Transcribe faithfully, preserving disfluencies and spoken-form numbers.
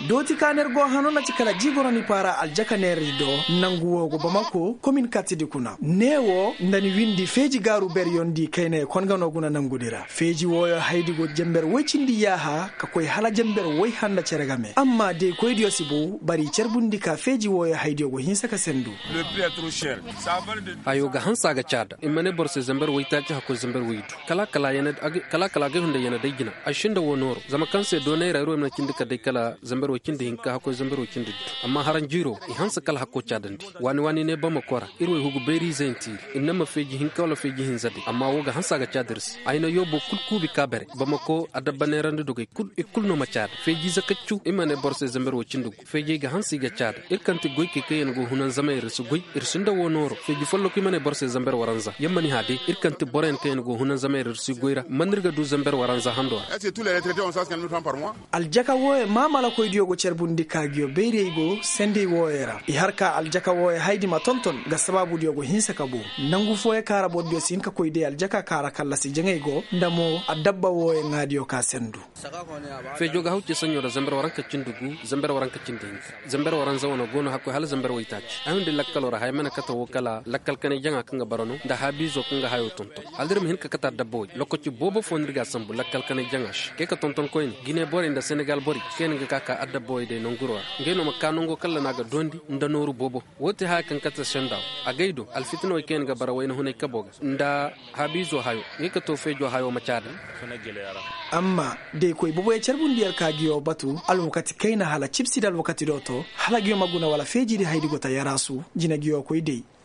Dooti ka neer go hano na ci kala jiiboroni paara aljaka neeradi do. Nangu woo go bamako komin kattidi kuna ne woo nda ni windi feeji gaaru beryondi kaynay kon ga no guna nangudi ra feeji wooyo haydi go jenber woy cindi yaaha ka koy hala jenber woy handa cere game amma deekoydiyo si bow bari cerbundi ka feeji wooyo haydiyo go hinsa ka sendu. Hayo ga hanse a ga caada i ma ne boro se zamber woytaaci hakkoy zamber woydu. Kala kala agay hunday yana day jina. Ay sinda woo nooro zama kaŋ se doonay ra ir wo ay mana cindi ka day kala zamber woy cindi hinka hakkoy zamber woy cindi diddu. Amma haranjiiro i hanse kala hakko caadandi. Waani waani ne bamako ra ir wo ay hugu bayriize yaŋ tiiri. Ir ne ma feeji hinka wala feeji hinza day amma woo ga hanse a ga caada ir se. Ay na yoobo kul kuubi ka bare bamako adabba neerandi dogey kul i kul no ma caada feeji zakaccu i ma ne boro se zamber woy cindi gu feejey ga hanse i ga caada ir kaŋ ti goykey kaŋ ya na go hunanzamey ra ir si goy. Ir sinda woo nooro feeji folloku i ma ne boro se zamber waranza ya ma ni hã day ir kaŋ ti boroyaŋ kaŋ ya na go hunanzamey ra ir si goy ra man ir ga du zamber waranza hando ra. Aljaka wooyo maamalakoydiyo go carbundi ka nguyo bayrey go sendey wooyo ra i har ka aljaka wooyo haydi ma tonton ga sabaabudiyo go hinsa ka bow. Nangu fooyo ka ra borodiyo si hin ka koy day aljaka ka ra kallasi jaŋay go nda mo adabba wooyo ŋaadiyo ka sendu. Feejo ga haw ce saɲɲo ra zamber waranka cindi gu zamber waranka cindi hinka. Zamber waranza wane go no hakkoy hala zamber waytaaci ay hundi lakkaloo ra haya mana kate woo kala lakkal kanay jaŋa kaŋ ga bara no nda haabiizo kaŋ ga hayoo tonton. Hala ir ma hin ka kate adabba way lokaci boobo foo no ir ga a sambu lakkal kanay jaŋa se kay ka tonton koyne gine borey nda senegal borey kaŋ yaŋ ga ka ka adabba way day nanguroo ra. Ngey no ma ka nango kalla no a ga doondi nda nooru boobo. Woo ti haya kaŋ kate senda wo. Agay do alfitinawey kaŋ yaŋ ga bara wayna hunay kaboo ga nda haabiizo hayoo ngey ka too feejoo hayoo ma caada. Amma da i koy boboyo carbundi yer ka ngiyo batu alwakati kayna hala cibsidi alwakati do to hala ngiyo ma guna wala feejidi haydi go ta yaraasu. Jina ngiyo koy day.